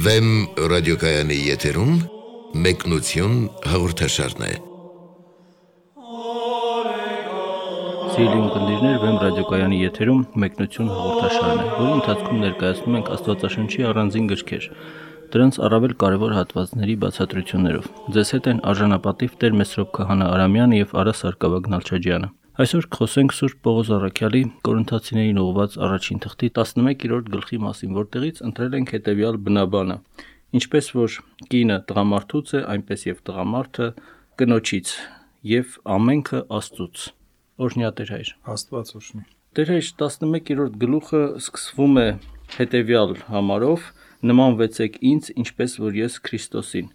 Վեմ ռադիոկայանի եթերում մեկնություն հաղորդաշարն է։ Սիրելի ունկնդիրներ, Վեմ ռադիոկայանի եթերում մեկնություն հաղորդաշարն է, որի ընթացքում ներկայացնում ենք Աստվածաշնչի առանձին գրքեր, դրանց առավել կարևոր հատվածների բացատրություններով։ Ձեզ հետ են արժանապատիվ Տեր Մեսրոպ Քահանա Արամյանը եւ Արա Սարգսակ Նալչաջյանը։ Այսօր խոսենք Սուրբ Պողոս Առաքյալի Կորինթացիներին ուղղված առաջին թղթի 11-րդ գլխի մասին, որտեղից ընտրել ենք հետևյալ բնաբանը. ինչպես որ կինը տղամարդուց է, այնպես եւ տղամարդը կնոջից, եւ ամենքը Աստծուց։ Օրհնյա Տեր Հայր։ Աստված օրհնի։ Տեր Հայր, 11-րդ գլուխը սկսվում է հետևյալ համարով. նմանվեցեք ինձ, ինչպես որ ես Քրիստոսին։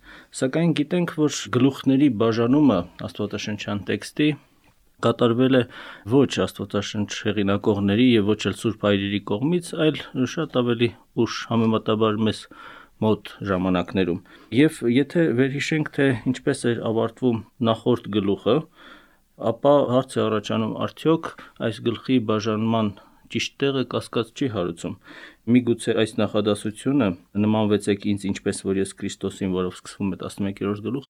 Սակայն գիտենք, որ գլուխների բաժանումը աստվածաշնչյան տեքստի կատարվել է ոչ Աստվածաշնչ հեղինակողների եւ ոչ էլ Սուրբ Հայրերի կողմից, այլ շատ ավելի ուշ, համեմատաբար մեզ մոտ ժամանակներում։ Եվ եթե վերհիշենք, թե ինչպես էր ավարտվում նախորդ գլուխը, ապա հարց է առաջանում, արդյոք այս գլխի բաժանման ճիշտ տեղը կասկած չի հարուցում։ Միգուցե այս նախադասությունը նմանվեցեք ինձ, ինչպես որ ես Քրիստոսին, որով սկսվում է 11-րդ գլուխ,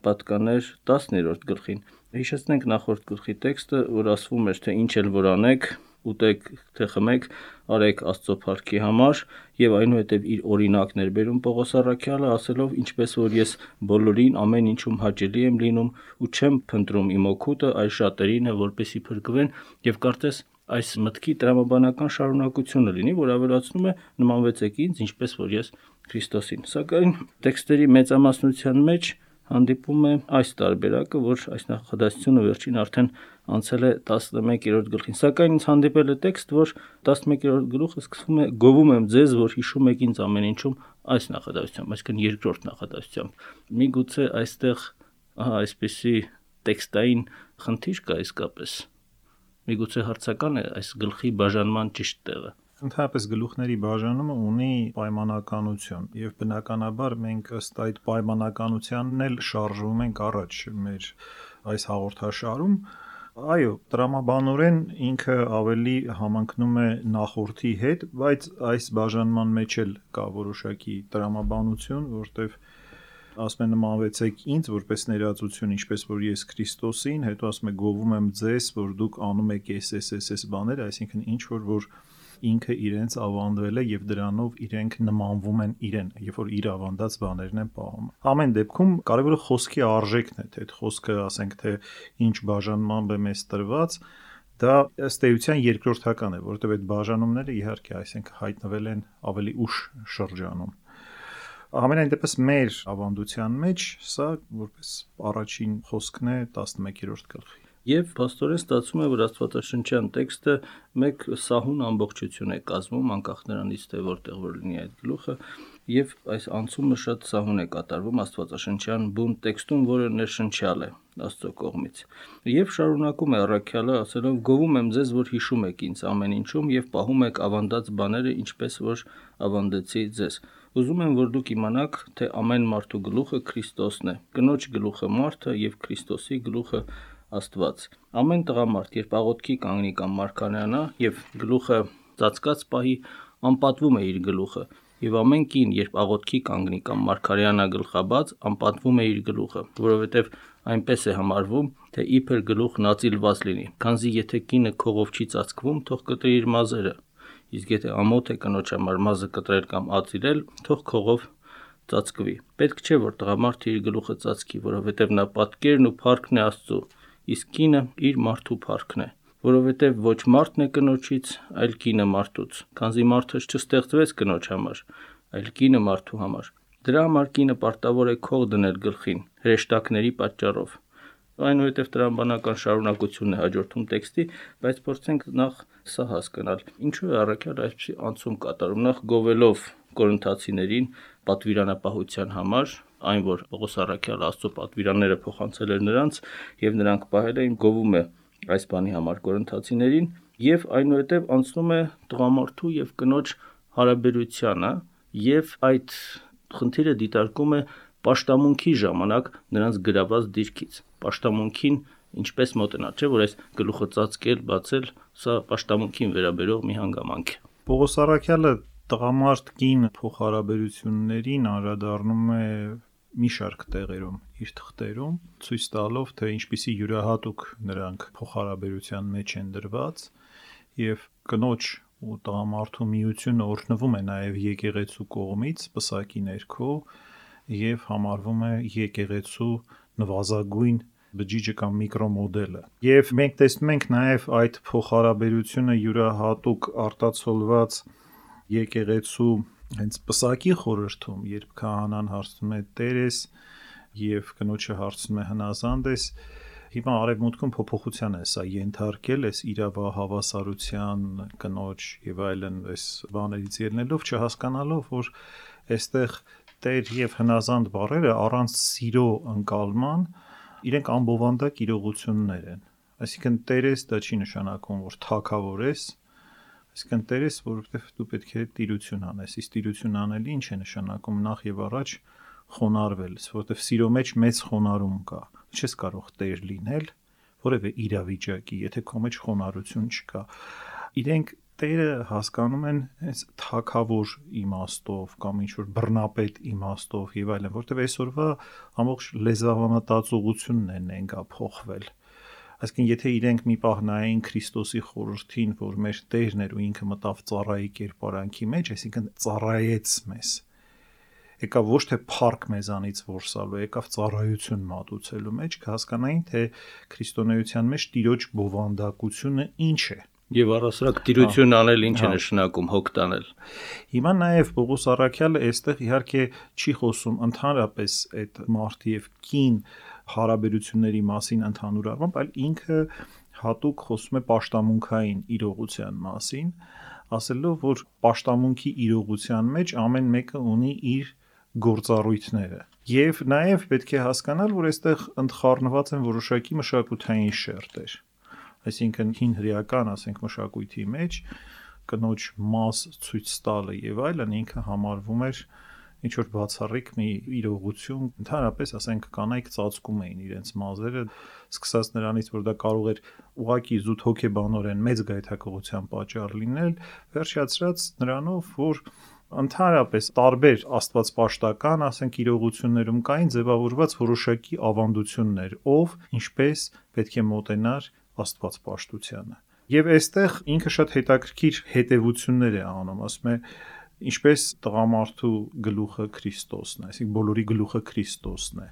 պատկաներ 10-րդ գլխին։ Հիշեցնենք նախորդ գլխի տեքստը, որ ասվում էր, թե ինչ էլ որ անեք, ուտեք թե խմեք, արեք Աստծո փառքի համար, եւ այնուհետև իր օրինակն էր բերում Պողոս Առաքյալը, ասելով, ինչպես որ ես բոլորին ամեն ինչում հաճելի եմ լինում ու չեմ փնտրում իմ օգուտը, այլ շատերին է, որպեսի փրկվեն, եւ կարծես այս մտքի տրամաբանական շարունակությունը լինի, որ ավելացնում է նմանվեցեք ինձ, ինչպես որ ես Քրիստոսին։ Սակայն տեքստերի մեծամասնության մեջ հանդիպում է այս տարբերակը, որ այս նախադասությունը վերջին արդեն անցել է 11-րդ գլխին։ Սակայն ինձ հանդիպել է տեքստ, որ 11-րդ գլուխը սկսվում է գովում եմ ձեզ, որ հիշում եք ինձ ամեն ինչում, այս նախադասությամբ, այսինքն երկրորդ նախադասությամբ։ Միգուցե այստեղ այսպիսի տեքստային խնդիր կա իսկապես։ Միգուցե հարցական է այս գլխի բաժանման ճիշտ տեղը։ Ընդհանրապես գլուխների բաժանումը ունի պայմանականություն եւ բնականաբար մենք ըստ այդ պայմանականությանն էլ շարժվում ենք առաջ մեր այս հաղորդաշարում։ Այո, տրամաբանորեն ինքը ավելի համընկնում է նախորդի հետ, բայց այս բաժանման մեջ էլ կա որոշակի տրամաբանություն, որտեղ ասում է նմանվեցեք ինձ որպես ներածություն, ինչպես որ ես Քրիստոսին, հետո ասում է գովում եմ ձեզ, որ դուք անում եք այս բաներ, այսինքն ինչ որ ինքը իրենց ավանդվել է եւ դրանով իրենք նմանվում են իրեն, երբ որ իր ավանդած բաներն են պահում։ Ամեն դեպքում կարևորը խոսքի արժեքն է, թե այդ խոսքը, ասենք, թե ինչ բաժանմամբ է մեզ տրված, դա ըստ էության երկրորդական է, որովհետեւ այդ բաժանումները իհարկե, այսինքն հայտնվել են ավելի ուշ շրջանում։ Ամենայն դեպս մեր ավանդության մեջ սա որպես առաջին խոսքն է 11-րդ գլխի։ Եվ փաստորեն ստացվում է, որ Աստվածաշնչյան տեքստը մեկ սահուն ամբողջություն է կազմում, անկախ նրանից, թե որտեղ որ լինի այդ գլուխը, եւ այս անցումը շատ սահուն է կատարվում Աստվածաշնչյան բուն տեքստում, որը ներշնչյալ է Աստծո կողմից։ Եվ շարունակում է Առաքյալը ասելով. գովում եմ ձեզ, որ հիշում եք ինձ ամեն ինչում եւ պահում եք ավանդած բաները, ինչպես որ ավանդեցի ձեզ։ Ուզում եմ, որ դուք իմանաք, թե ամեն մարդու գլուխը Քրիստոսն է, կնոջ գլուխը մարդը եւ Քրիստոսի գլուխը Աստված։ Ամեն տղամարդ, երբ աղոթքի կանգնի կամ մարգարեանա եւ գլուխը ծածկած պահի, անպատվում է իր գլուխը, եւ ամեն կին, երբ աղոթքի կանգնի կամ մարգարեանա գլխաբաց, անպատվում է իր գլուխը, որովհետեւ այնպես է համարվում, թե իբր գլուխն ածիլված լինի, քանզի եթե կինը քողով չի ծածկվում, թող կտրի իր մազերը, իսկ եթե ամոթ է կնոջ համար մազը կտրել կամ ածիլել, թող քողով ծածկվի։ Պետք չէ, որ տղամարդը իր գլուխը ծածկի, որովհետեւ նա պատկերն ու փառքն է Աստծո, իսկ կինը իր մարդու փառքն է, որովհետև ոչ մարդն է կնոջից, այլ կինը մարդուց, քանզի մարդը չստեղծվեց կնոջ համար, այլ կինը մարդու համար։ Դրա համար կինը պարտավոր է քող դնել գլխին, հրեշտակների պատճառով։ Այնուհետև տրամաբանական շարունակությունն է հաջորդում տեքստի, բայց փորձենք նախ սա հասկանալ։ Ինչու է Առաքյալը այսպիսի անցում կատարում, նախ գովելով կորինթացիներին պատվիրանապահության համար, այն որ Պողոս Առաքյալը Աստծո պատվիրանները փոխանցել էր նրանց եւ նրանք պահել էին, գովում է այս բանի համար կորինթացիներին եւ այնուհետեւ անցնում է տղամարդու եւ կնոջ հարաբերությանը եւ այդ խնդիրը դիտարկում է պաշտամունքի ժամանակ նրանց գրաված դիրքից։ Պաշտամունքին ինչպես մոտենալ, չէ՞ որ այս գլուխը ծածկել, բացել, սա պաշտամունքին վերաբերող մի հանգամանք է։ Պողոս Առաքյալը Տղամարդ կին փոխհարաբերություններին անդրադառնում է մի շարք տեղերում իր թղթերում, ցույց տալով, թե ինչպիսի յուրահատուկ նրանք փոխհարաբերության մեջ են դրված, եւ կնոջ ու տղամարդու միությունը օրհնվում է նաև եկեղեցու կողմից պսակի ներքո եւ համարվում է եկեղեցու նվազագույն բջիջը կամ միկրոմոդելը։ Եվ մենք տեսնում ենք նաև այդ փոխհարաբերությունը յուրահատուկ արտացոլված եկեղեցու հենց պսակի խորհրդում, երբ քահանան հարցնում է Տերես եւ կնոջը հարցնում է հնազանդ ես, հիմա արևմուտքում փոփոխության է սա ենթարկել, այս իրավահավասարության կնոջ եւ այլն այս բաներից ելնելով, չհասկանալով, որ այստեղ Տեր եւ հնազանդ բառերը առանց սիրո ընկալման իրենք անբովանդակ իրողություններ են։ Այսինքն Տերես դա չի նշանակում, որ թագավոր ես, այսինքն Տերես, որովհետեւ դու պետք է տիրություն անես, իսկ տիրություն անելը ինչ է նշանակում նախ եւ առաջ խոնարհվել, որովհետեւ սիրո մեջ մեծ խոնարհում կա։ Չես կարող Տեր լինել որևէ իրավիճակի, եթե քո մեջ խոնարհություն չկա։ Իրենք Տերը հասկանում են այս թագավոր իմաստով կամ ինչ որ բռնապետ իմաստով եւ այլն, որովհետեւ այսօրվա ամբողջ լեզվավանատացողությունն է նենգա փոխվել։ Այսինքն եթե իրենք մի պահ նայեն Քրիստոսի խորհրդին, որ մեր Տերն էր ու ինքը մտավ ծառայի կերպարանքի մեջ, այսինքն ծառայեց մեզ, եկավ ոչ թե փառք մեզանից որսալու, եկավ ծառայություն մատուցելու մեջ, կհասկանային, թե քրիստոնեության մեջ տիրոջ բովանդակությունը ինչ է։ Եվ առասարակ տիրություն անել ինչ է նշանակում հոգ տանել։ Հիմա նաև Պողոս առաքյալը այստեղ իհարկե չի խոսում ընդհանրապես այդ մարդի եւ կին հարաբերությունների մասին ընդհանուր առմամբ, այլ ինքը հատուկ խոսում է պաշտամունքային իրողության մասին, ասելով, որ պաշտամունքի իրողության մեջ ամեն մեկը ունի իր գործառույթները։ Եվ նաև պետք է հասկանալ, որ այստեղ ընդխառնված են որոշակի մշակութային շերտեր։ Այսինքն հին հրեական, ասենք, մշակույթի մեջ կնոջ մաս ցույց տալը եւ այլն ինքը համարվում էր ինչ որ բացառիկ մի իրողություն, ընդհանրապես ասենք կանայք ծածկում էին իրենց մազերը, սկսած նրանից, որ դա կարող էր ուղակի զուտ հոգեբանորեն մեծ գայթակղության պատճառ լինել, վերջացրած նրանով, որ ընդհանրապես տարբեր աստվածպաշտական, ասենք, իրողություններում կային ձևավորված որոշակի ավանդություններ, ով ինչպես պետք է մոտենար աստվածպաշտությանը։ Եվ այստեղ ինքը շատ հետաքրքիր հետևություններ է անում, ասում է, ինչպես տղամարդու գլուխը Քրիստոսն է, այսինքն բոլորի գլուխը Քրիստոսն է,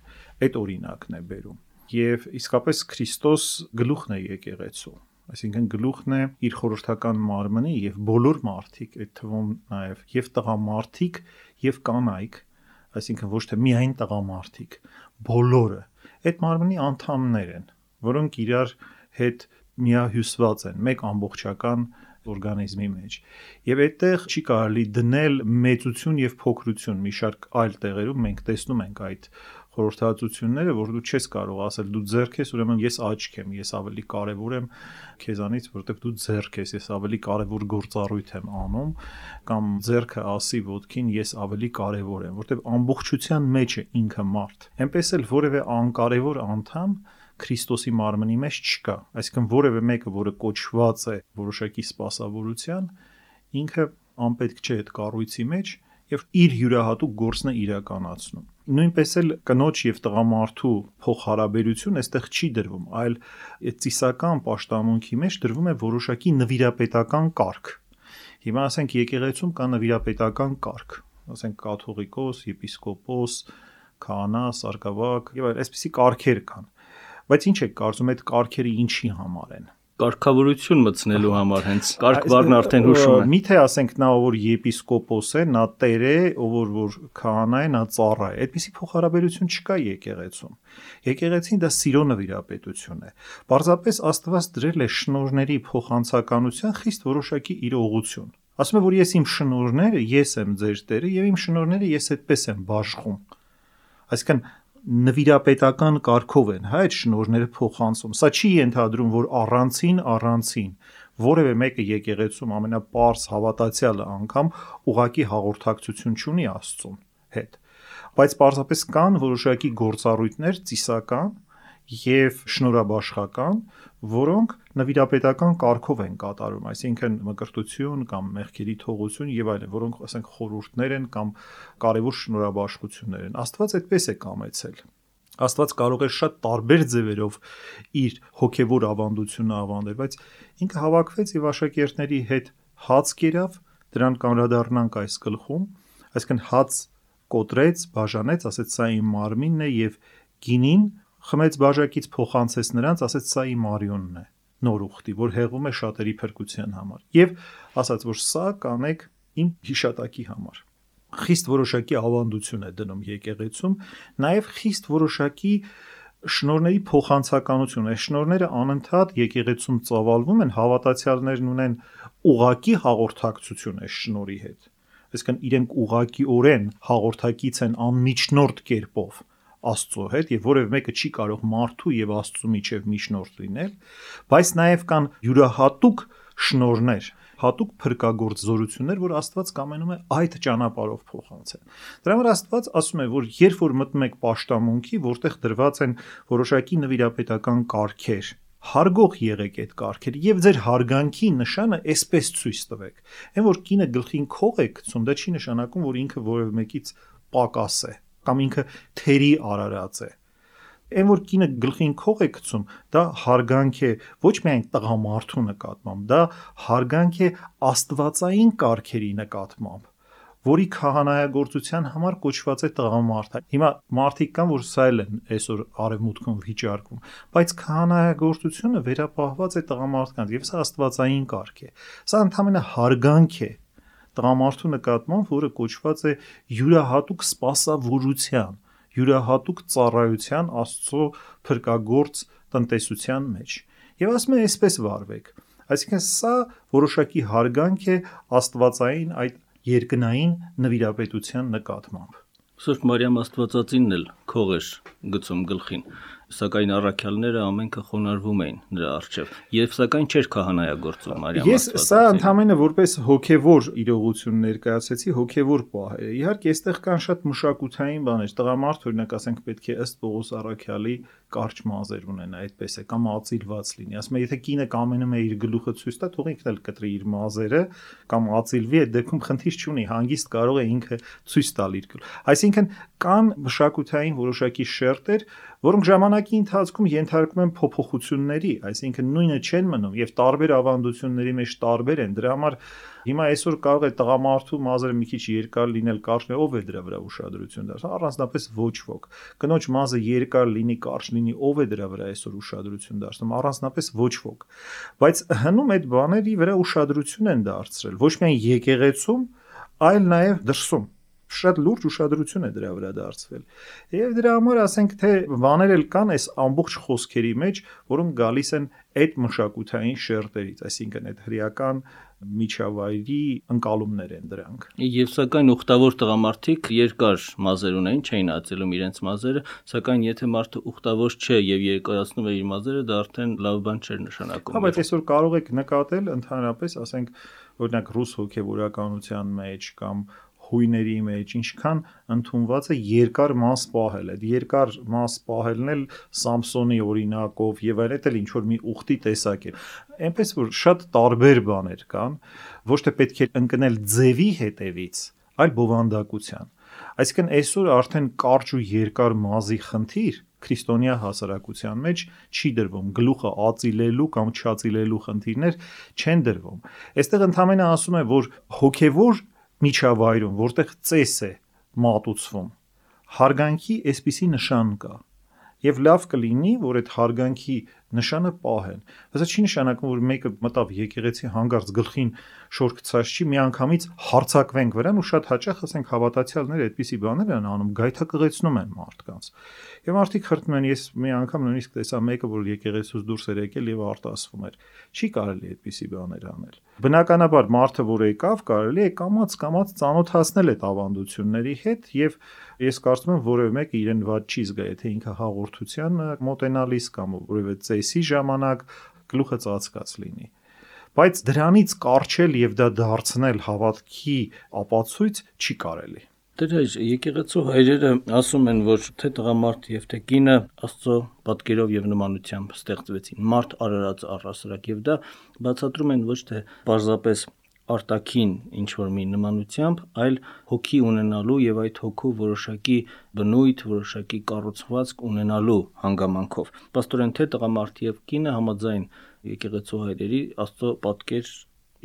այդ օրինակն է բերում։ Եվ իսկապես Քրիստոս գլուխն է եկեղեցու, այսինքն գլուխն է իր խորհրդական մարմնի եւ բոլոր մարդիկ, այդ թվում նաեւ եւ տղամարդիկ եւ կանայք, այսինքն ոչ թե միայն տղամարդիկ, բոլորը այդ մարմնի անդամներ են, որոնք իրար հետ միահյուսված են մեկ ամբողջական օրգանիզմի մեջ։ Եվ այդտեղ չի կարելի դնել մեծություն եւ փոքրություն, մի շարք այլ տեղերում մենք տեսնում ենք այդ խորհրդածությունները, որ դու չես կարող ասել դու ձեռք ես, ուրեմն ես աչք եմ, ես ավելի կարևոր եմ քեզանից, որովհետեւ դու ձեռք ես, ես ավելի կարևոր գործառույթ եմ անում, կամ ձեռքը ասի ոտքին ես ավելի կարևոր եմ, որովհետեւ ամբողջության մեջ է ինքը մարդ։ Էնպես էլ որևէ անկարևոր անդամ Քրիստոսի մարմնի մեջ չկա, այսինքն որևէ մեկը, որը կոչված է որոշակի սպասավորության, ինքը անպետք չէ այդ կառույցի մեջ եւ իր յուրահատուկ գործն է իրականացնում։ Նույնպես էլ կնոջ եւ տղամարդու փոխհարաբերություն այստեղ չի դրվում, այլ այդ ծիսական պաշտամունքի մեջ դրվում է որոշակի նվիրապետական կարգ։ Հիմա ասենք եկեղեցում կա նվիրապետական կարգ, ասենք կաթողիկոս, եպիսկոպոս, քահանա, սարկավակ եւ այլ այսպիսի կարգեր կան։ Բայց ինչ եք կարծում այդ կարգերը ինչի համար են։ Կարգավորություն մտցնելու համար հենց կարգ բառն արդեն հուշում է։ Միթե ասենք նա որ եպիսկոպոս է, նա տեր է, ով որ քահանա է, նա ծառա է։ Այդպիսի փոխհարաբերություն չկա եկեղեցում։ Եկեղեցին դա սիրո նվիրապետություն է։ Պարզապես Աստված դրել է շնորհների փոխանցականության խիստ որոշակի իրողություն։ Ասում է որ ես իմ շնորհները, ես եմ ձեր Տերը եւ իմ շնորհները ես այդպես եմ բաշխում։ Այսինքն նվիրապետական կարգով են, այդ շնորհները փոխանցում։ Սա չի ենթադրում, որ առանցին որևէ մեկը եկեղեցում ամենապարզ հավատացյալը անգամ ուղակի հաղորդակցություն չունի Աստծուն հետ։ Բայց պարզապես կան որոշակի գործառույթներ ծիսական եւ շնորհաբաշխական, որոնք նվիրապետական կարգով են կատարում, այսինքն մկրտություն կամ մեղքերի թողություն եւ այլն, որոնք ասենք խորհուրդներ են կամ կարևոր շնորհաբաշխություններ են։ Աստված այդպես է կամեցել։ Աստված կարող է շատ տարբեր ձևերով իր հոգևոր ավանդությունը ավանդել, բայց ինքը հավաքվեց եւ աշակերտների հետ հաց կերավ, դրան կանրադառնանք այս գլխում, այսինքն հաց կոտրեց, բաժանեց, ասեց սա իմ մարմինն է եւ գինին խմեց բաժակից, փոխանցեց նրանց, ասեց սա իմ արյունն է, նոր ուխտի, որ հեղում է շատերի փրկության համար։ Եվ ասաց, որ սա կանեք իմ հիշատակի համար։ Խիստ որոշակի ավանդություն է դնում եկեղեցում, նաև խիստ որոշակի շնորհների փոխանցականություն։ Այս շնորհները անընդհատ եկեղեցում ծավալվում են, հավատացյալներն ունեն ուղակի հաղորդակցություն այս շնորհի հետ։ Այսինքն իրենք ուղղակիորեն հաղորդակից են անմիջնորդ կերպով Աստծո հետ եւ որևէ մեկը չի կարող մարդու եւ Աստծո միջև միջնորդ լինել, բայց նաեւ կան յուրահատուկ շնորհներ, հատուկ փրկagorձորություններ, որ Աստված կամենում է այդ ճանապարհով փոխանցել։ Դրա համար Աստված ասում է, որ երբ որ մտնում եք պաշտամունքի, որտեղ դրված են որոշակի նվիրապետական կարգեր, հարգող եղեք այդ կարգերը եւ ձեր հարգանքի նշանը այսպես ցույց տվեք։ Այն որ կինը գլխին քող է գցում, դա չի նշանակում, որ ինքը որևէ մեկից պակաս է կամ ինքը թերի արարած է։ Այն որ կինը գլխին քող է գցում, դա հարգանք է ոչ միայն տղամարդու նկատմամբ, դա հարգանք է աստվածային կարգերի նկատմամբ, որի քահանայագործության համար կոչված է տղամարդը։ Հիմա մարդիկ կան, որ սա են այսօր արևմուտքում վիճարկում, բայց քահանայագործությունը վերապահված է տղամարդկանց եւ սա աստվածային կարգ է։ Սա ընդհանրապես հարգանք է տղամարդու նկատմամբ, որը կոչված է յուրահատուկ սպասավորության, յուրահատուկ ծառայության Աստծո փրկagorձ տնտեսության մեջ։ Եվ ասում է այսպես վարվեք։ Այսինքն սա որոշակի հարգանք է աստվածային այդ երկնային նվիրապետության նկատմամբ։ Սուրբ Մարիամ Աստվածածինն էլ քող էր գցում գլխին, սակայն առաքյալները ամենքը խոնարհվում էին նրա առջև, եւ սակայն չէր քահանայագործում Մարիամ Աստվածածին։ Ես սա ընդհանրապես որպես հոգևոր իրողություն ներկայացեցի, հոգևոր պահ է։ Իհարկե, այստեղ կան շատ մշակութային բաներ։ Տղամարդ օրինակ ասենք պետք է ըստ Պողոս առաքյալի կարճ մազեր ունենա, այդպես է, կամ ածիլված լինի։ Ասում է, եթե կինը կամենում է իր գլուխը ցույց տա, թող ինքն էլ կտրի իր մազերը կամ ածիլվի, այդ դեպքում խնդիր չունի, հանգիստ կարող է ինքը ցույց տալ իր գլուխը։ Այսինքն կան մշակութային որոշակի շերտեր, որոնք ժամանակի ընթացքում ենթարկվում են փոփոխությունների, այսինքն նույնը չեն մնում եւ տարբեր ավանդությունների մեջ տարբեր են։ Դրա համար հիմա այսօր կարող է տղամարդու մազերը մի քիչ երկար լինել, կարճ, ով է դրա վրա ուշադրություն դարձնում, առանձնապես ոչ ոք։ Կնոջ մազը երկար լինի, կարճ լինի, ով է դրա վրա այսօր ուշադրություն դարձնում, առանձնապես ոչ ոք։ Բայց հնում այդ բաների վրա ուշադրություն են դարձրել, ոչ միայն եկեղեցում, այլ նաեւ դրսում։ Շատ լուրջ ուշադրություն է դրա վրա դարձվել։ Եվ դրա համար ասենք թե բաներ էլ կան այս ամբողջ խոսքերի մեջ, որոնք գալիս են այդ մշակութային շերտերից, այսինքն այդ հրեական միջավայրի ընկալումներ են դրանք։ Եվ սակայն ուխտավոր տղամարդիկ երկար մազեր ունեն, չէին ածելում իրենց մազերը, սակայն եթե մարդը ուխտավոր չէ եւ երկարացնում է իր մազերը, դա արդեն լավ բան չէր նշանակում։ Հա, բայց այսօր կարող եք նկատել ընդհանրապես, ասենք, օրինակ ռուս հոգևորականության մեջ կամ հույների մեջ ինչքան ընդունված է երկար մաս պահել։ Այդ երկար մաս պահելն էլ Սամսոնի օրինակով եւ այլն էլ ինչ որ մի ուխտի տեսակ է։ Այնպես որ շատ տարբեր բաներ կան, ոչ թե պետք է ընկնել ձևի հետևից, այլ բովանդակության։ Այսինքն այսօր արդեն կարճ ու երկար մազի խնդիր քրիստոնյա հասարակության մեջ չի դրվում, գլուխը ածիլելու կամ չածիլելու խնդիրներ չեն դրվում։ Այստեղ ընդհանրապես ասում է, որ հոգևոր միջավայրում, որտեղ ծես է մատուցվում, հարգանքի այսպիսի նշան կա։ Եվ լավ կլինի, որ այդ հարգանքի նշանը պահեն։ Դա չի նշանակում, որ մեկը մտավ եկեղեցի հանգարց գլխին շոր գցած չի, միանգամից հարցակվենք վրան ու շատ հաճախ ասենք հավատացյալները այդպիսի բաներ են անում, գայթակղեցնում են մարդկանց։ Եվ մարդիկ խրտում են, ես մի անգամ նույնիսկ տեսա մեկը, որ եկեղեցուց դուրս էր եկել եւ արտասվում էր։ Չի կարելի այդպիսի բաներ անել։ Բնականաբար մարդը, որ եկավ, կարելի է կամաց ծանոթացնել այդ ավանդությունների հետ եւ ես կարծում եմ որևէ մեկը իրեն ված չի զգա, եթե ինքը հաղորդության մոտենալիս կամ որևէ ծեսի ժամանակ գլուխը ծածկած լինի։ Բայց դրանից կարճել եւ դա դարձնել հավատքի ապացույց չի կարելի։ Դեր եկեղեցու հայրերը ասում են, որ թե տղամարդ եւ թե կինը Աստծո պատկերով եւ նմանությամբ ստեղծվեցին, մարդ արարած առասարակ, եւ դա բացատրում են ոչ թե պարզապես արտաքին ինչ-որ մի նմանությամբ, այլ հոգի ունենալու եւ այդ հոգու որոշակի բնույթ, որոշակի կառուցվածք ունենալու հանգամանքով։ Պաստորեն թե տղամարդ եւ կինը համաձայն եկեղեցու հայրերի Աստծո պատկեր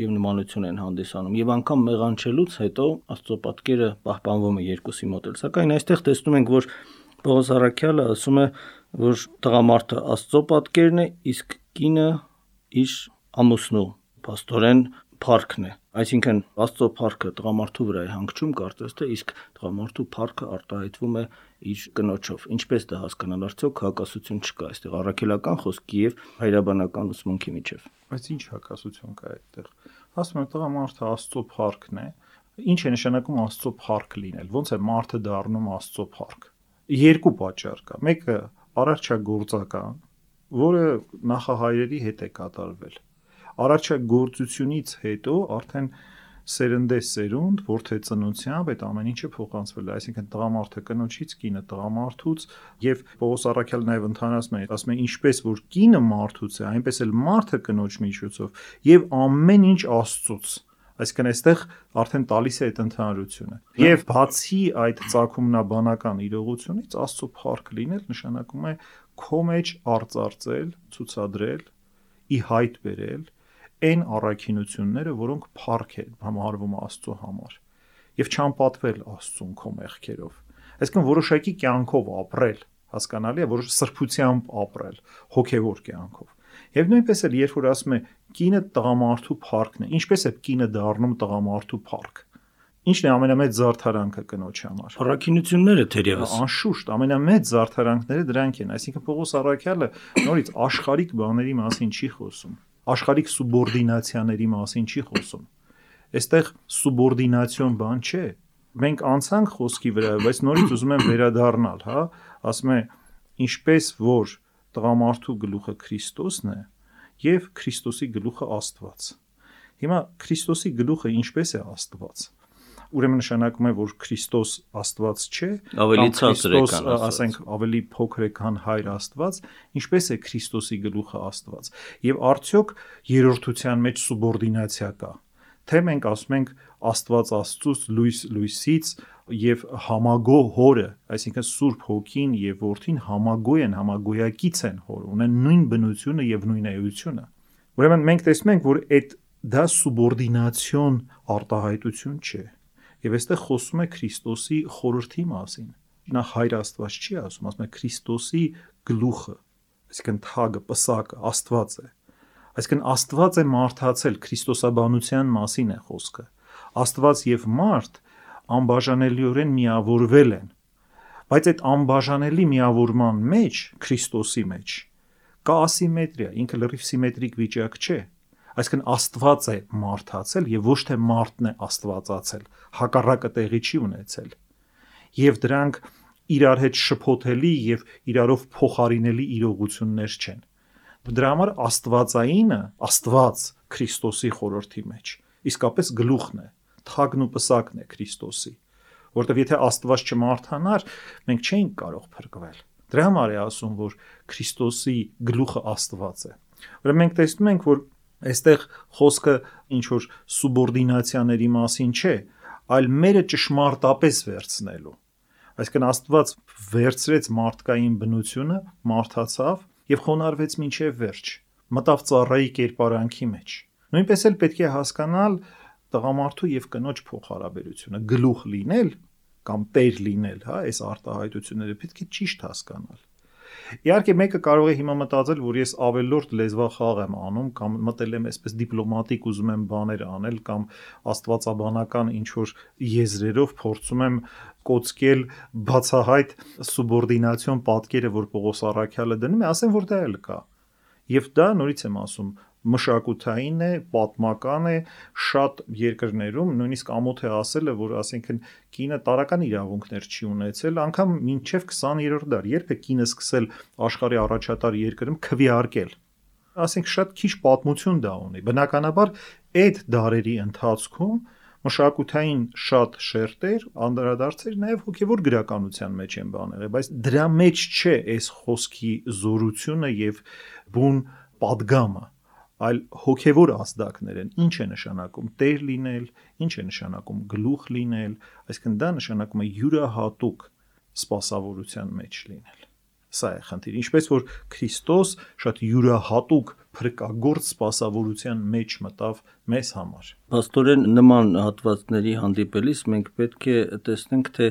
եւ նմանություն են հանդիսանում եւ անգամ մեղանչելուց հետո Աստծո պատկերը պահպանվում է երկուսի մոտ էլ, սակայն այստեղ տեսնում ենք, որ Պողոս առաքյալը ասում է, որ տղամարդը Աստծո պատկերն է, իսկ կինը իր ամուսնու, փաստորեն փառքն է, այսինքն Աստծո փառքը տղամարդու վրա է հանգչում, կարծես թե, իսկ տղամարդու փառքը արտահայտվում է իր կնոջով։ Ինչպես դա հասկանալ, արդյոք հակասություն չկա այստեղ առաքելական խոսքի եւ հայրաբանական ուսմունքի միջեւ։ Բայց ինչ հակասություն կա այդտեղ։ Ասում եմ, տղամարդը Աստծո փառքն է։ Ինչ է նշանակում Աստծո փառք լինել։ Ոնց է մարդը դառնում Աստծո փառք։ Երկու պատճառ կա։ Մեկը արարչագործական, որը նախահայրերի հետ է կատարվել։ Արարչագործությունից հետո արդեն սերնդեսերունդ, որթե ծնությամբ այդ ամեն ինչը փոխանցվել է, այսինքն տղամարդը կնոջից, կինը տղամարդուց, եւ Պողոս առաքյալը նաեւ ընդհանրացնում է, ինչպես որ կինը մարդուց է, այնպես էլ մարդը կնոջ միջոցով եւ ամեն ինչ Աստծուց։ Այսինքն այստեղ արդեն տալիս է այդ ընդհանրությունը։ Եվ բացի այդ ծագումնաբանական իրողությունից Աստծո փառք լինել նշանակում է քո մեջ արծարծել, ցուցադրել, ի հայտ բերել այն առաքինությունները, որոնք փառք են համարվում Աստծո համար, եւ չանպատվել Աստծուն քո մեղքերով։ Այսինքն որոշակի կյանքով ապրել, հասկանալի է, որոշ սրբությամբ ապրել, հոգեվոր կյանքով։ Եվ նույնպես էլ երբ որ ասում է կինը տղամարդու փառքն է, ինչպես է կինը դառնում տղամարդու փառք։ Ինչն է ամենամեծ զարդարանքը կնոջ համար։ Առաքինությունները թերևս։ Անշուշտ ամենամեծ զարդարանքները դրանք են, այսինքն Պողոս առաքյալը նորից աշխարհիկ բաների մասին չի խոսում, աշխարհիկ սուբորդինացիաների մասին չի խոսում։ Այստեղ սուբորդինացիոն բան չէ։ Մենք անցանք խոսքի վրա, բայց նորից ուզում եմ վերադառնալ, հա, ասում է ինչպես որ տղամարդու գլուխը Քրիստոսն է եւ Քրիստոսի գլուխը Աստված։ Հիմա Քրիստոսի գլուխը ինչպես է Աստված։ Ուրեմն նշանակում է, որ Քրիստոս Աստված չէ, ավելի ցածր է, ասենք ավելի փոքր է, քան Հայր Աստված, ինչպես է Քրիստոսի գլուխը Աստված։ Եվ արդյոք երրորդության մեջ սուբորդինացիա կա։ Թե մենք ասում ենք Աստված Աստծուց, լույս լույսից եւ համագոհ հորը, այսինքն Սուրբ Հոգին եւ Որդին համագոհ են, համագոյակից են հոր, ունեն նույն բնությունը եւ նույն էությունը։ Ուրեմն մենք տեսնում ենք, որ այդ դա սուբորդինացիոն արտահայտություն չէ։ Եվ այստեղ խոսում է Քրիստոսի խորհրդի մասին։ Նա Հայր Աստված չի ասում է Քրիստոսի գլուխը, այսինքն թագը, պսակը, Աստված է։ Այսինքն Աստված է մարդացել, քրիստոսաբանության մասին է խոսքը։ Աստված եւ մարդ անբաժանելիորեն միավորվել են։ Բայց այդ անբաժանելի միավորման մեջ, Քրիստոսի մեջ, կա ասիմետրիա, ինքը լրիվ սիմետրիկ վիճակ չէ։ Այսինքն Աստված է մարդացել եւ ոչ թե մարդն է Աստվածացել, հակառակը տեղի չի ունեցել։ Եվ դրանք իրար հետ շփոթելի եւ իրարով փոխարինելի իրողություններ չեն։ Դրա համար Աստվածայինը, Աստված Քրիստոսի խորհրդի մեջ, իսկապես գլուխն է, թագն ու պսակն է Քրիստոսի, որտեղ եթե Աստված չմարթանար, մենք չէինք կարող փրկվել։ Դրա համար է ասում, որ Քրիստոսի գլուխը Աստված է։ Ուրեմն մենք տեսնում ենք, որ այստեղ խոսքը ինչ որ սուբորդինացիաների մասին չէ, այլ մերը ճշմարտապես վերցնելու։ Այսինքն Աստված վերցրեց մարդկային բնությունը, մարդացավ եւ խոնարհվեց մինչեւ վերջ, մտավ ծառայի կերպարանքի մեջ։ Նույնպես էլ պետք է հասկանալ տղամարդու եւ կնոջ փոխհարաբերությունը, գլուխ լինել կամ տեր լինել, հա, այս արտահայտությունները պետք է ճիշտ հասկանալ։ Իհարկե մեկը կարող է հիմա մտածել, որ ես ավելորդ լեզվախաղ եմ անում կամ մտել եմ այսպես դիպլոմատիկ ուզում եմ բաներ անել կամ աստվածաբանական ինչ որ եզրերով փորձում եմ կոծկել բացահայտ սուբորդինացիոն պատկերը, որ Պողոս առաքյալը դնում է, ասեմ, որ դա էլ կա։ Եվ դա նորից եմ ասում, մշակութային է, պատմական է, շատ երկրներում նույնիսկ ամոթ է ասելը, որ ասենքն կինը տարական իրավունքներ չի ունեցել, անգամ մինչև 20-րդ դար, երբ է կինը սկսել աշխարհի առաջատար երկրում քվեարկել։ Ասենք շատ քիչ պատմություն դա ունի։ Բնականաբար այդ դարերի ընթացքում մշակութային շատ շերտեր, անդրադարձեր նաև հոգևոր գրականության մեջ են բաներ, բայց դրա մեջ չէ այս խոսքի զորությունը եւ բուն պատգամը, այլ հոգևոր ազդակներ են։ Ինչ է նշանակում տեր լինել, ինչ է նշանակում գլուխ լինել, այսինքն դա նշանակում է յուրահատուկ սպասավորության մեջ լինել։ Սա է խնդիրը, ինչպես որ Քրիստոս շատ յուրահատուկ փրկագործ սպասավորության մեջ մտավ մեզ համար։ Փաստորեն նման հատվածների հանդիպելիս մենք պետք է տեսնենք, թե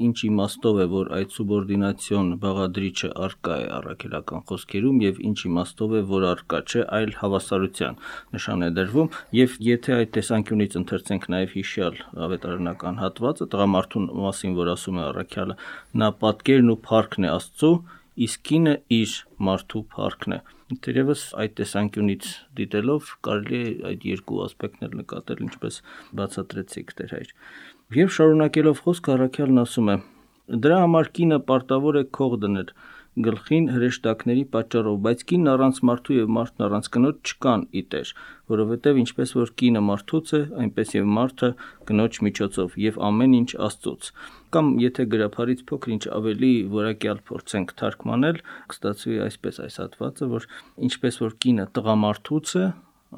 ինչ իմաստով է, որ այդ սուբորդինացիոն բաղադրիչը առկա է առաքելական խոսքերում եւ ինչ իմաստով է, որ առկա չէ, այլ հավասարության նշան է դրվում, եւ եթե այդ տեսանկյունից ընթերցենք նաեւ հիշյալ ավետարանական հատվածը տղամարդուն մասին, որ ասում է առաքյալը, նա պատկերն ու փառքն է Աստծո, իսկ կինը իր մարդու փառքն է։ Թերևս այդ տեսանկյունից դիտելով կարելի է այդ երկու ասպեկտներ նկատել, ինչպես բացատրեցիք Տեր հայր։ Եվ շարունակելով խոսքը առաքյալն ասում է. դրա համար կինը պարտավոր է քող դնել գլխին հրեշտակների պատճառով, բայց կինն առանց մարդու եւ մարդն առանց կնոջ չկան ի Տեր, որովհետեւ ինչպես որ կինը մարդուց է, այնպես եւ մարդը կնոջ միջոցով եւ ամեն ինչ Աստծոց։ Կամ եթե գրափարից փոքր ինչ ավելի որակյալ փորձենք թարգմանել, կստացվի այսպես այս հատվածը, որ ինչպես որ կինը տղամարդուց է,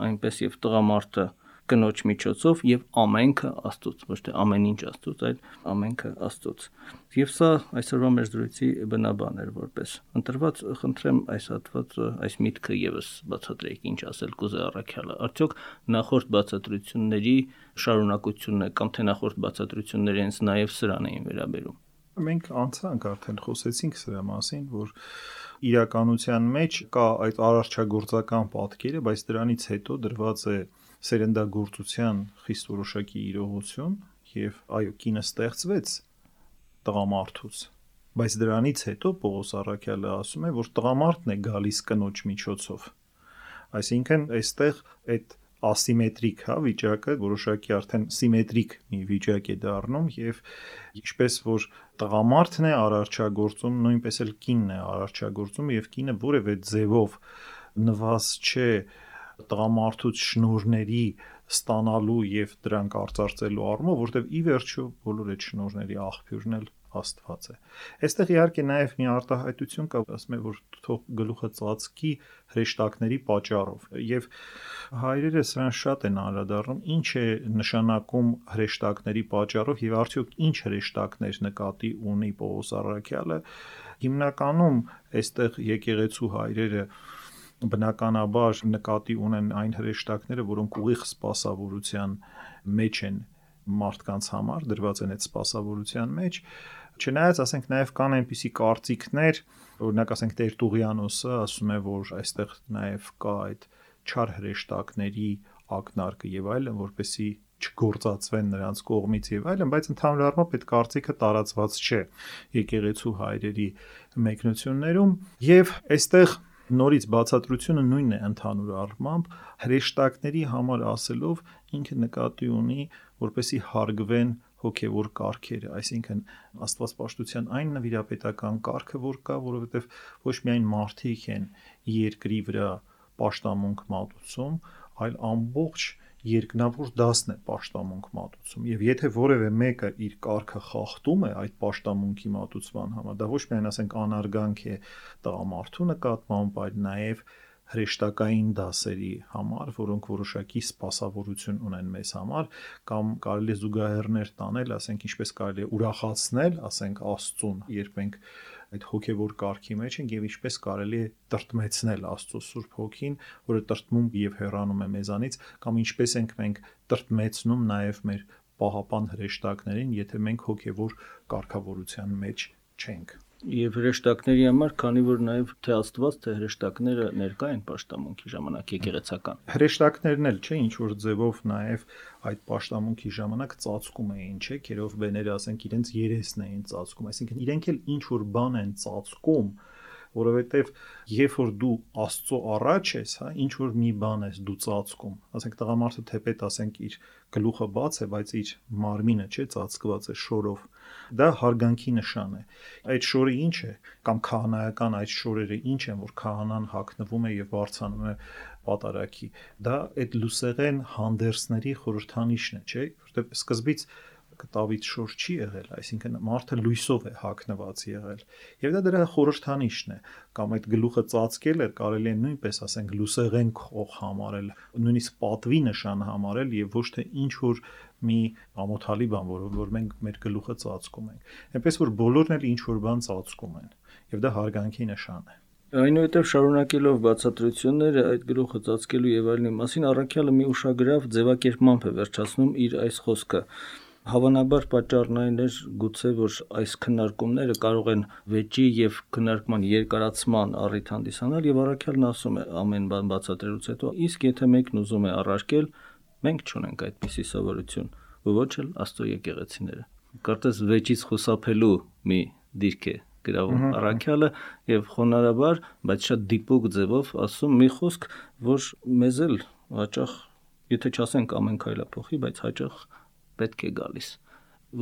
այնպես եւ տղամարդը կնոջ միջոցով եւ ամենքը Աստծոց, ոչ թե ամեն ինչ Աստծոց, այլ ամենքը Աստծոց։ Եվ սա այսօրվա մեր զրույցի բնաբան էր որպես ընտրված, խնդրեմ այս հատվածը, այս միտքը եւս բացատրեք, ինչ ասել կուզե առաքյալը։ Արդյոք նախորդ բացատրությունների շարունակությունն է կամ թե նախորդ բացատրությունները հենց նաեւ սրան էին վերաբերում։ Մենք անցանք արդեն խոսեցինք սրա մասին, որ իրականության մեջ կա այդ արարչագործական պատկերը, բայց դրանից հետո դրված է սերնդագործության խիստ որոշակի իրողություն եւ այո, կինը ստեղծվեց տղամարդուց, բայց դրանից հետո Պողոս առաքյալը ասում է, որ տղամարդն է գալիս կնոջ միջոցով։ Այսինքն այստեղ այդ ասիմետրիկ վիճակը որոշակի արդեն սիմետրիկ մի վիճակ է դառնում եւ ինչպես որ տղամարդն է արարչագործում, նույնպես էլ կինն է արարչագործում եւ կինը որևէ ձևով նվազ չէ տղամարդուց շնորհների ստանալու եւ դրանք արծարծելու առումով, որտեւ ի վերջո բոլոր այդ շնորհների աղբյուրն էլ Աստված է։ Այստեղ իհարկե նաև մի արտահայտություն կա, ասում է, որ թող գլուխը ծածկի հրեշտակների պատճառով։ Եվ հայրերը սրան շատ են անդրադառնում, ինչ է նշանակում հրեշտակների պատճառով եւ արդյոք ինչ հրեշտակներ նկատի ունի Պողոս առաքյալը։ Հիմնականում այստեղ եկեղեցու հայրերը բնականաբար նկատի ունեն այն հրեշտակները, որոնք ուղիղ սպասավորության մեջ են մարդկանց համար, դրված են այդ սպասավորության մեջ, չնայած ասենք նաև կան այնպիսի կարծիքներ, օրինակ ասենք Տեր Տուղյանոսը ասում է, որ այստեղ նաև կա այդ չար հրեշտակների ակնարկը եւ այլն, որպեսզի չգործածվեն նրանց կողմից եւ այլն, բայց ընդհանուր առմամբ այդ կարծիքը տարածված չէ եկեղեցու հայրերի մեկնություններում եւ այստեղ նորից բացատրությունը նույնն է ընդհանուր առմամբ հրեշտակների համար ասելով ինքը նկատի ունի որպեսի հարգվեն հոգևոր կարգերը, այսինքն աստվածպաշտության այն նվիրապետական կարգը, որ կա, որովհետև ոչ միայն մարդիկ են երկրի վրա պաշտամունք մատուցում, այլ ամբողջ երկնավոր դասն է պաշտամունք մատուցում, եւ եթե որևէ մեկը իր կարգը խախտում է այդ պաշտամունքի մատուցման համար, դա ոչ միայն ասենք անարգանք է տղամարդու նկատմամբ, այլ նաեւ հրեշտակային դասերի համար, որոնք որոշակի սպասավորություն ունեն մեզ համար, կամ կարելի է զուգահեռներ տանել, ասենք ինչպես կարելի է ուրախացնել, ասենք Աստծուն, երբ մենք այդ հոգևոր կարգի մեջ ենք եւ ինչպես կարելի է տրտմեցնել Աստծո Սուրբ Հոգին, որը տրտմում եւ հեռանում է մեզանից, կամ ինչպես ենք մենք տրտմեցնում նաեւ մեր պահապան հրեշտակներին, եթե մենք հոգևոր կարգավորության մեջ չենք։ Եվ հրեշտակների համար, քանի որ նաև թե Աստված, թե հրեշտակները ներկա են պաշտամունքի ժամանակ եկեղեցական։ Հրեշտակներն էլ չէ, ինչ որ ձևով նաև այդ պաշտամունքի ժամանակ ծածկում էին, չէ, քերով բեները ասենք իրենց երեսն էին ծածկում, այսինքն իրենք էլ ինչ որ բան են ծածկում, որովհետև երբ որ դու Աստծո առաջ ես, ինչ որ մի բան ես դու ծածկում, ասենք տղամարդը թեպետ ասենք իր գլուխը բաց է, բայց իր մարմինը չէ ծածկված է շորով, դա հարգանքի նշան է։ Այդ շորը ինչ է, կամ քահանայական այդ շորերը ինչ են, որ քահանան հագնվում է եւ բարձանում է պատարագի։ Դա այդ լուսեղեն հանդերձների խորհրդանիշն է, չէ՞, որտեղ սկզբից կտավից շոր չի եղել, այսինքն մարդը լույսով է հագնված եղել։ Եվ դա դրա խորհրդանիշն է, կամ այդ գլուխը ծածկելը կարելի է նույնպես ասենք լուսեղեն քող համարել, նույնիսկ պատվի նշան համարել եւ ոչ թե ինչ որ մի ամոթալի բան, որ մենք մեր գլուխը ծածկում ենք։ Այնպես որ բոլորն էլ ինչ որ բան ծածկում են, եւ դա հարգանքի նշան է։ Այնուհետև շարունակելով բացատրությունները այդ գլուխը ծածկելու եւ այլնի մասին առաքյալը մի ուշագրավ ձևակերպմամբ է վերջացնում իր այս խոսքը։ Հավանաբար պատճառն այն էր գուցե, որ այս քննարկումները կարող են վեճի եւ քննարկման երկարացման առիթ հանդիսանալ եւ առաքյալն ասում է ամեն բան բացատրելուց հետո, իսկ եթե մեկն ուզում է առարկել, մենք չունենք այդպիսի սովորություն, ոչ էլ Աստծո եկեղեցիները։ Կարծես վեճից խուսափելու մի դիրք է գրավում առաքյալը եւ խոնարհաբար, բայց շատ դիպուկ ձևով ասում մի խոսք, որ մեզ էլ հաճախ, եթե չասենք ամեն քայլափոխի, բայց հաճախ պետք է գալիս,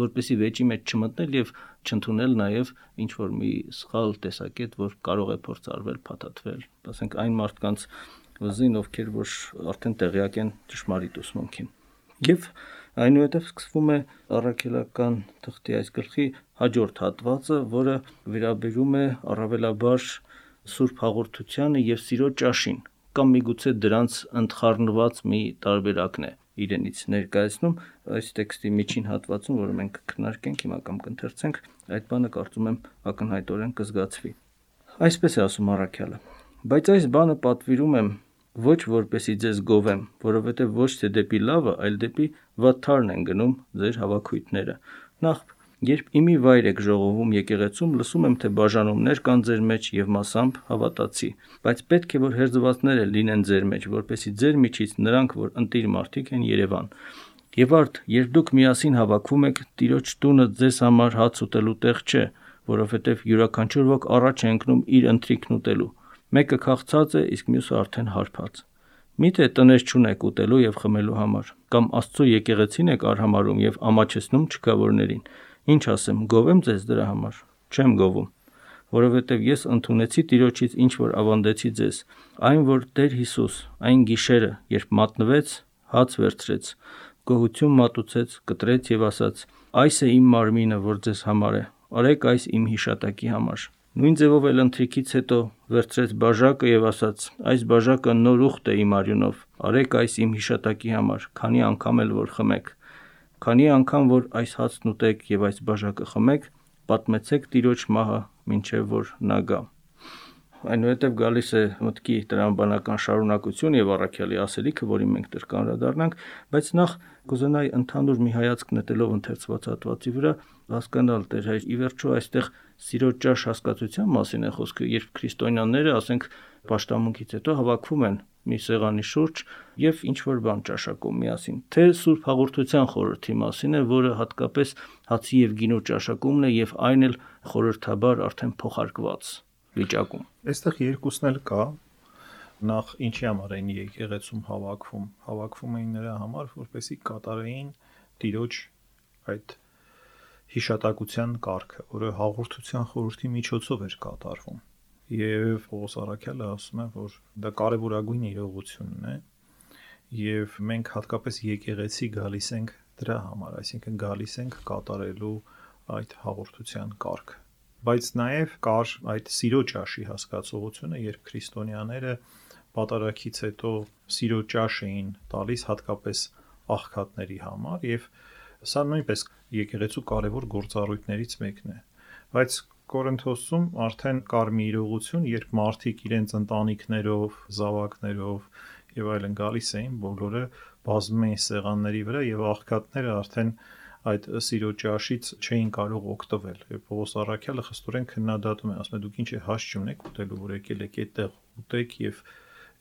որպեսզի վեճի մեջ չմտնել եւ չընդունել նաեւ ինչ որ մի սխալ տեսակետ, որ կարող է փորձարվել փաթաթվել, ասենք այն մարդկանց վզին, ովքեր որ արդեն տեղյակ են ճշմարիտ ուսմունքին։ Եվ այնուհետև սկսվում է առաքելական թղթի այս գլխի հաջորդ հատվածը, որը վերաբերում է առավելաբար Սուրբ Հաղորդությանը եւ Սիրո ճաշին, կամ միգուցե դրանց ընդխառնված մի տարբերակն է իրենից ներկայացնում այս տեքստի միջին հատվածում, որը մենք քննարկենք հիմա կամ կընթերցենք, այդ բանը կարծում եմ ակնհայտորեն կզգացվի։ Այսպես է ասում առաքյալը. բայց այս բանը պատվիրում եմ ոչ որպեսի ձեզ գովեմ, որովհետև ոչ թե դեպի լավը, այլ դեպի վատթարն են գնում ձեր հավաքույթները։ Նախ երբ իմի վայր եք ժողովում եկեղեցում, լսում եմ, թե բաժանումներ կան ձեր մեջ եւ մասամբ հավատացի, բայց պետք է որ հերձվածները լինեն ձեր մեջ, որպեսի ձեր միջից նրանք, որ ընտիր մարդիկ են, երևան։ Եվ արդ, երբ դուք միասին հավաքվում եք, Տիրոջ տունը ձեզ համար հաց ուտելու տեղ չէ, որովհետև յուրաքանչյուր ոք առաջ է ընկնում իր ընթրիքն ուտելու։ Մեկը քաղցած է, իսկ մյուսը արդեն հարբած։ Միթե տնես չունեք ուտելու եւ խմելու համար, կամ Աստծո եկեղեցին եք արհամարում եւ ամաչեցնում չքավորներին։ Ինչ ասեմ, գովեմ ձեզ դրա համար։ Չեմ գովում, որովհետև ես ընդունեցի Տիրոջից ինչ որ ավանդեցի ձեզ, այն որ Տեր Հիսուս այն գիշերը, երբ մատնվեց, հաց վերցրեց, գոհություն մատուցեց, կտրեց եւ ասաց. «Այս է իմ մարմինը, որ ձեզ համար է, արեք այս իմ հիշատակի համար»։ Նույն ձևով էլ ընթրիքից հետո վերցրեց բաժակը եւ ասաց. «Այս բաժակը նոր ուխտ է իմ արյունով, արեք այս իմ հիշատակի համար, քանի անգամ էլ որ խմեք։ Քանի անգամ որ այս հացն ուտեք եւ այս բաժակը խմեք, պատմեցեք Տիրոջ մահը, մինչեւ որ նա գա»։ Այնուհետև գալիս է մտքի տրամաբանական շարունակություն եւ առաքյալի ասելիքը, որին մենք դեռ կանդրադառնանք, բայց նախ կուզենայի ընդհանուր մի հայացք նետելով ընթերցված հատվածի վրա հասկանալ Տեր հայր, ի վերջո այստեղ սիրո ճաշ հասկացության մասին է խոսքը, երբ քրիստոնյաները, ասենք, պաշտամունքից հետո հավաքվում են մի սեղանի շուրջ եւ ինչ որ բան ճաշակում միասին, թե Սուրբ Հաղորդության խորհրդի մասին է, որը հատկապես հացի եւ գինու ճաշակումն է եւ այն էլ խորհրդաբար արդեն փոխարկված վիճակում։ Այստեղ երկուսն էլ կա։ Նախ ինչի համար են եկեղեցում հավաքվում էին նրա համար, որպեսզի կատարեին Տիրոջ այդ հիշատակության կարգը, որը հաղորդության խորհրդի միջոցով էր կատարվում։ Եվ Պողոս առաքյալը ասում է, որ դա կարևորագույն իրողությունն է, եւ մենք հատկապես եկեղեցի գալիս ենք դրա համար, այսինքն գալիս ենք կատարելու այդ հաղորդության կարգը։ Բայց նաև կար այդ սիրո ճաշի հասկացողությունը, երբ քրիստոնյաները պատարագից հետո սիրո ճաշ էին տալիս հատկապես աղքատների համար, եւ սա նույնպես եկեղեցու կարևոր գործառույթներից մեկն է։ Բայց Կորինթոսում արդեն կար մի իրողություն, երբ մարդիկ իրենց ընտանիքներով, զավակներով եւ այլն գալիս էին, բոլորը բազում էին սեղանների վրա եւ աղքատները արդեն այդ սիրո ճաշից չէին կարող օգտվել։ Եւ Պողոս առաքյալը խստորեն քննադատում է, ասում է դուք ինչ է հաշ չունեք ուտելու, որ եկել եք այդտեղ ուտեք եւ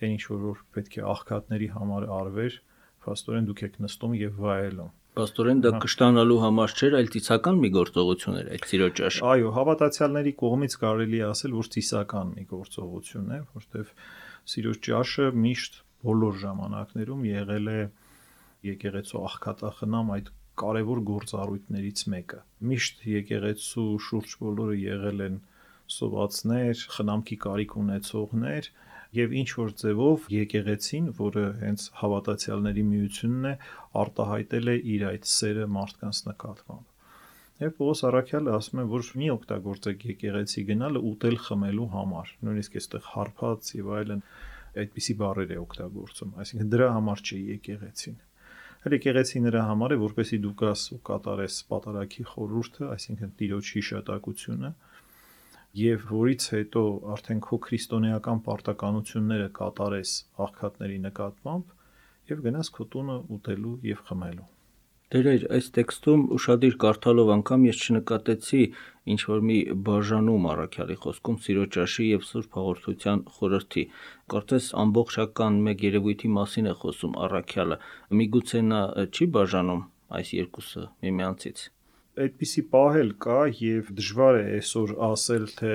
այն ինչ որ պետք է աղքատների համար արվեր, փաստորեն դուք եք նստում եւ վայելում։ Պաստորեն դա կշտանալու համար չէր, այլ ծիսական մի գործողություն էր այդ սիրո ճաշը։ Այո, հավատացյալների կողմից կարելի է ասել, որ ծիսական մի գործողություն է, որտեղ սիրո ճաշը միշտ բոլոր ժամանակներում եղել է եկեղեցու աղքատախնամ այդ կարևոր գործառույթներից մեկը։ Միշտ եկեղեցու շուրջ բոլորը եղել են սովածներ, խնամքի կարիք ունեցողներ եւ ինչ որ ձևով եկեղեցին, որը հենց հավատացյալների միությունն է, արտահայտել է իր այդ սերը մարդկանց նկատմամբ։ Եվ Պողոս առաքյալը ասում է, որ մի օգտագործեք եկեղեցի գնալը ուտել խմելու համար, նույնիսկ այստեղ հարբած եւ այլն այդպիսի բառեր է օգտագործում, այսինքն դրա համար չի եկեղեցին։ Եկեղեցի նրա համար է, որպեսզի դու գաս ու կատարես պատարագի խորհուրդը, այսինքն Տիրոջ հիշատակությունը, եւ որից հետո արդեն քո քրիստոնեական պարտականությունները կատարես աղքատների նկատմամբ եւ գնաս քո տունը ուտելու եւ խմելու։ Դերեր, այս տեքստում ուշադիր կարդալով անգամ ես չնկատեցի ինչ որ մի բաժանում առաքյալի խոսքում սիրո ճաշի եւ Սուրբ Հաղորդության խորհրդի։ Կարծես ամբողջական մեկ երևույթի մասին է խոսում առաքյալը։ Միգուցե նա չի բաժանում այս երկուսը միմյանցից։ Այդպիսի պահ էլ կա եւ դժվար է այսօր ասել, թե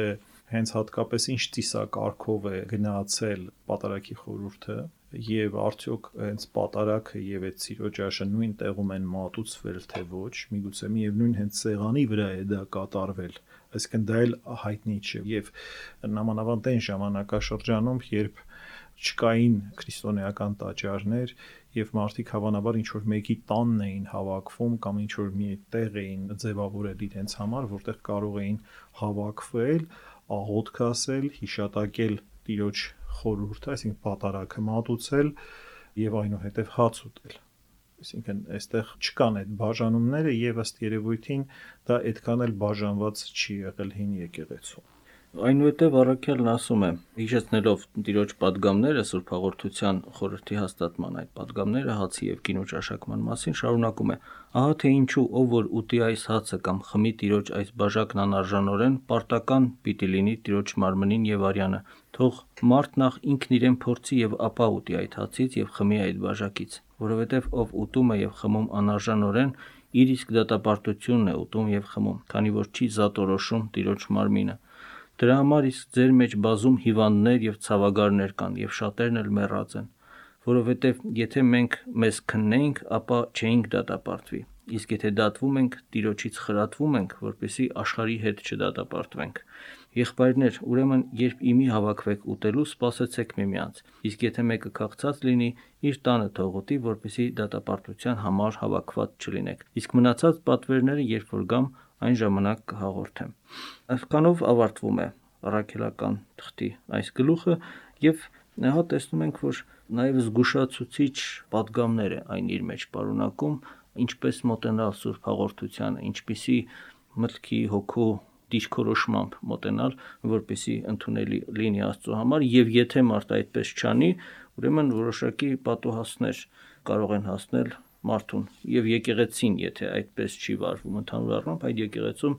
հենց հատկապես ինչ ծիսակարգով է գնացել պատարագի խորհուրդը եւ արդյոք հենց պատարագը եւ այդ սիրո ճաշը նույն տեղում են մատուցվել թե ոչ, միգուցե միևնույն հենց սեղանի վրա է դա կատարվել, այսինքն դա էլ հայտնի չէ եւ նամանավանդ այն ժամանակաշրջանում, երբ չկային քրիստոնեական տաճարներ եւ մարդիկ հավանաբար ինչ որ մեկի տանն էին հավաքվում կամ ինչ որ մի տեղ էին ձևավորել իրենց համար, որտեղ կարող էին հավաքվել, աղոթք ասել, հիշատակել Տիրոջ խորհուրդը, այսինքն պատարագը մատուցել եւ այնուհետեւ հաց ուտել։ Այսինքն այստեղ չկան այդ բաժանումները եւ ըստ երևույթին դա այդքան էլ բաժանված չի եղել հին եկեղեցու։ Այնուհետև առաքյալն ասում է, հիշեցնելով Տիրոջ պատգամները Սուրբ Հաղորդության խորհրդի հաստատման այդ պատգամները հացի եւ գինու ճաշակման մասին, շարունակում է. ահա թե ինչու ով որ ուտի այս հացը կամ խմի Տիրոջ այս բաժակն անարժանորեն, պարտական պիտի լինի Տիրոջ մարմնին եւ արյանը, թող մարդ նախ ինքն իրեն փորձի եւ ապա ուտի այդ հացից եւ խմի այդ բաժակից, որովհետեւ ով ուտում է եւ խմում անարժանորեն, իր իսկ դատապարտությունն է ուտում եւ խմում, քանի որ չի զատորոշում Տիրոջ մարմինը։ Դրա համար իսկ ձեր մեջ բազում հիվանդներ եւ ցավագարներ կան եւ շատերն էլ մեռած են, որովհետեւ եթե մենք մեզ քննեինք, ապա չէինք դատապարտվի, իսկ եթե դատվում ենք, Տիրոջից խրատվում ենք, որպեսզի աշխարհի հետ չդատապարտվենք։ Եղբայրներ, ուրեմն երբ իմի հավաքվեք ուտելու, սպասեցեք միմյանց, իսկ եթե մեկը քաղցած լինի, իր տանը թող ուտի, որպեսզի դատապարտության համար հավաքված չլինեք, իսկ մնացած պատվերները երբ որ գամ, այն ժամանակ կհաղորդեմ։ Այսքանով ավարտվում է առաքելական թղթի այս գլուխը եւ հա տեսնում ենք, որ նաեւ զգուշացուցիչ պատգամներ է այն իր մեջ պարունակում, ինչպես մոտենալ Սուրբ Հաղորդությանը, ինչպիսի մտքի հոգու դիրքորոշմամբ մոտենալ, որպեսզի ընդունելի լինի Աստծո համար, եւ եթե մարդ այդպես չանի, ուրեմն որոշակի պատուհասներ կարող են հասնել մարդուն եւ եկեղեցին, եթե այդպես չի վարվում ընդհանուր առմամբ, այդ եկեղեցում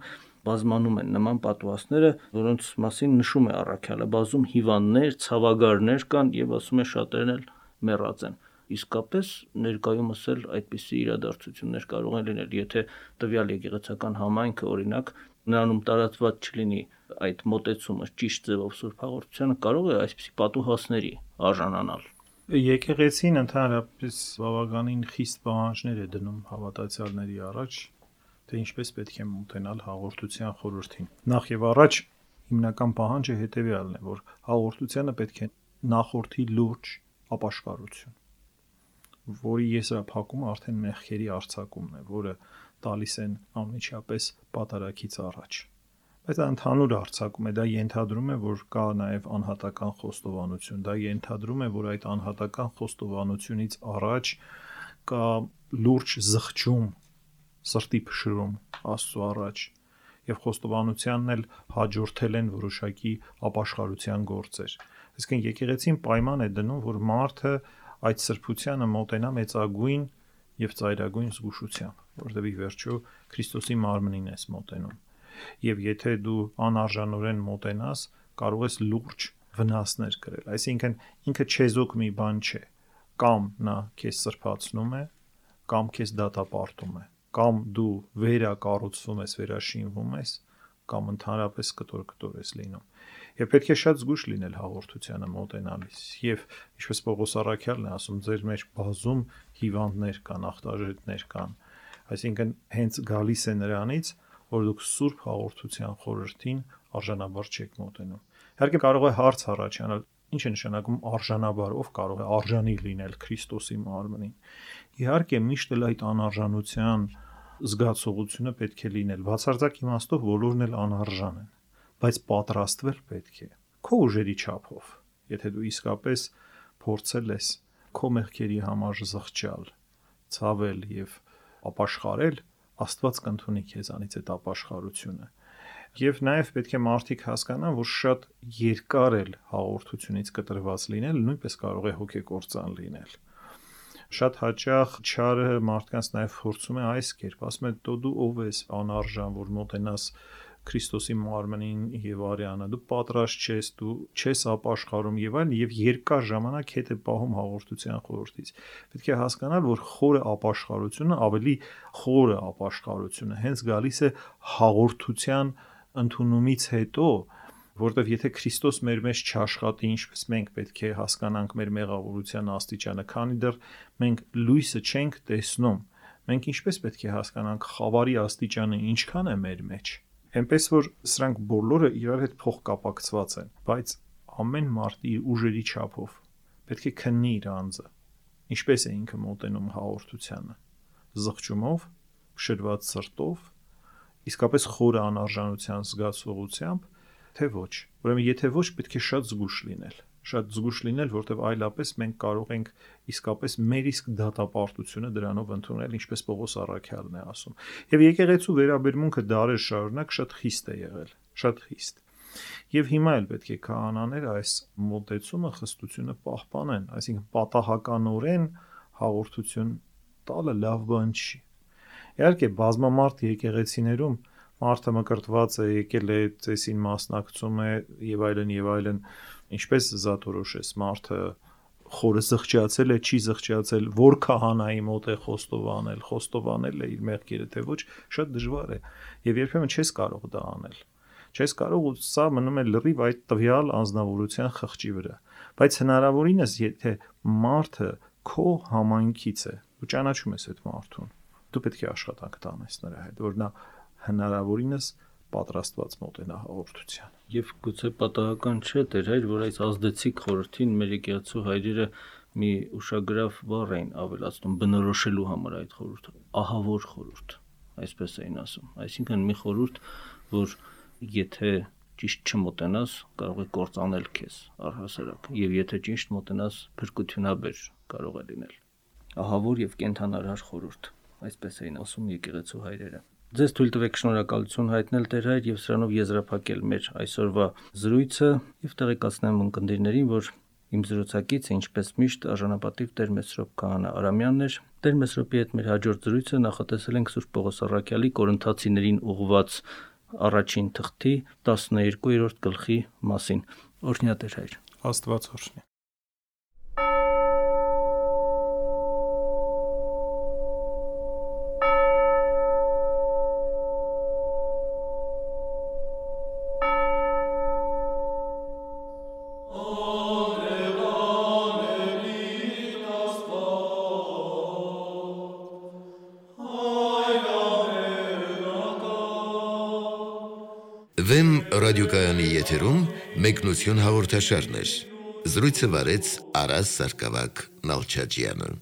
բազմանում են նման պատուհասները, որոնց մասին նշում է առաքյալը, բազում հիվանդներ, ցավագարներ կան եւ ասում է շատերն էլ մեռած են։ Իսկապես ներկայումս էլ այդպիսի իրադարձություններ կարող են լինել, եթե տվյալ եկեղեցական համայնքը օրինակ նրանում տարածված չլինի այդ մոտեցումը ճիշտ ձևով Սուրբ Հաղորդությանը, կարող է այսպիսի պատուհասների արժանանալ։ Եկեղեցին ընդհանրապես բավականին խիստ պահանջներ է դնում հավատացյալների առաջ, թե ինչպես պետք է մոտենալ հաղորդության խորհրդին։ Նախ եւ առաջ հիմնական պահանջը հետեւյալն է, որ հաղորդությանը պետք է նախորդի լուրջ ապաշխարություն, որի եզրափակումը արդեն մեղքերի արձակումն է, որը տալիս են անմիջապես պատարագից առաջ։ Բայց դա ընդհանուր արձակում է, դա ենթադրում է, որ կա նաև անհատական խոստովանություն, դա ենթադրում է, որ այդ անհատական խոստովանությունից առաջ կա լուրջ զղջում, սրտի փշրում Աստծո առաջ, եւ խոստովանությանն էլ հաջորդել են որոշակի ապաշխարության գործեր։ Այսինքն եկեղեցին պայման է դնում, որ մարդը այդ սրբությանը մոտենա մեծագույն եւ ծայրագույն զգուշությամբ, որովհետեւ ի վերջո Քրիստոսի մարմնին ես մոտենում։ Եվ եթե դու անարժանորեն մոտենաս, կարող ես լուրջ վնասներ կրել։ Այսինքն ինքը չեզոք մի բան չէ, կամ նա քեզ սրբացնում է, կամ քեզ դատապարտում է, կամ դու վերակառուցվում ես, վերաշինվում ես, կամ ընդհանրապես կտոր ես լինում։ Եվ պետք է շատ զգուշ լինել հաղորդությանը մոտենալիս։ Եվ ինչպես Պողոս առաքյալն է ասում, ձեր մեջ բազում հիվանդներ կան, ախտաժետներ կան, Այսինքն հենց գալիս է նրանից, որ դուք Սուրբ հաղորդության խորհրդին արժանաբար չեք մոտենում։ Իհարկե կարող է հարց առաջանալ, ինչ է նշանակում արժանաբար, ով կարող է արժանի լինել Քրիստոսի մարմնին։ Իհարկե միշտ էլ այդ անարժանության զգացողությունը պետք է լինել։ Բացարձակ իմաստով բոլորն էլ անարժան են, բայց պատրաստվել պետք է քո ուժերի չափով։ Եթե դու իսկապես փորձել ես քո մեղքերի համար զղջալ, ցավել եւ ապաշխարել, Աստված կընդունի քեզանից այդ ապաշխարությունը։ Եվ նաև պետք է մարդիկ հասկանան, որ շատ երկար էլ հաղորդությունից կտրված լինել նույնպես կարող է հոգեկործան լինել։ Շատ հաճախ չարը մարդկանց նաև փորձում է այս կերպ, ասում է՝ դու ով ես անարժան, որ մոտենաս Քրիստոսի մարմնին եւ արյանը, դու պատրաստ չես, դու չես ապաշխարում եւ այլն, եւ երկար ժամանակ հետ է պահում հաղորդության խորհրդից։ Պետք է հասկանալ, որ խորը ապաշխարությունը, ավելի խորը ապաշխարությունը հենց գալիս է հաղորդության ընդունումից հետո, որտեվ եթե Քրիստոս մեր մեջ չաշխատի, ինչպես մենք պետք է հասկանանք մեր մեղավորության աստիճանը, քանի դեռ մենք լույսը չենք տեսնում, մենք ինչպես պետք է հասկանանք խավարի աստիճանը ինչքան է մեր մեջ։ Այնպես որ սրանք բոլորը իրար հետ փոխկապակցված են, բայց ամեն մարդ իր ուժերի չափով պետք է քննի իր անձը, ինչպես է ինքը մոտենում հաղորդությանը, զղջումով, շրված սրտով, իսկապես խորը անարժանության զգացողությամբ, թե ոչ։ Ուրեմն եթե ոչ, պետք է շատ զգուշ լինել, որտեղ այլապես մենք կարող ենք իսկապես մեր իսկ դատապարտությունը դրանով ընդունել, ինչպես Պողոս առաքյալն է ասում։ Եվ եկեղեցու վերաբերմունքը դարեր շարունակ շատ խիստ է եղել, շատ խիստ։ Եվ հիմա էլ պետք է քահանաները այս մոտեցումը, խստությունը պահպանեն, այսինքն պատահականորեն հաղորդություն տալը լավ բան չի։ Իհարկե բազմամարդ եկեղեցիներում մարդը մկրտված է, եկել է ծեսին մասնակցում է եւ այլն, ինչպես զատորոշես մարդը խորը զղջացել է, չի զղջացել, որ քահանայի մոտ է խոստովանել է իր մեղքերը, թե ոչ, շատ դժվար է եւ երբեմն չես կարող դա անել։ Չես կարող, ու սա մնում է լրիվ այդ տվյալ անձնավորության խղճի վրա։ Բայց հնարավորինս, եթե մարդը քո համայնքից է, ու ճանաչում ես այդ մարդուն, դու պետք է աշխատանք տանես նրա հետ, որ նա հնարավորինս պատրաստված մոտենա հաղորդության։ Եվ գուցե պատահական չէ, Տեր հայր, որ այս ազդեցիկ խորհրդին մեր եկեղեցու հայրերը մի ուշագրավ բառ էին ավելացնում բնորոշելու համար այդ խորհուրդը, ահավոր խորհուրդ, այսպես էին ասում։ Այսինքն մի խորհուրդ, որ եթե ճիշտ չմոտենաս, կարող է կործանել քեզ առհասարակ, եւ եթե ճիշտ մոտենաս, փրկությունաբեր կարող է լինել։ Ահավոր եւ կենթանարար խորհուրդ, այսպես էին ասում եկեղեցու հայրերը։ Ձեզ թույլ տվեք շնորհակալություն հայտնել Տեր հայր եւ սրանով եզրափակել մեր այսօրվա զրույցը եւ տեղեկացնեմ ունկնդիրներին, որ իմ զրուցակիցը ինչպես միշտ արժանապատիվ Տեր Մեսրոպ Քահանա Արամյանն էր։ Տեր Մեսրոպի հետ մեր հաջորդ զրույցը նախատեսել ենք Սուրբ Պողոս առաքյալի Կորինթացիներին ուղղված առաջին թղթի 12-րդ գլխի մասին։ Օրհնյա Տեր հայր։ Աստված օրհնի։ Վեմ ռադիոկայանի եթերում մեկնություն հաղորդաշարներ։ Զրույցը վարեց Արաս Սարգսակյան Նալչաջյանը։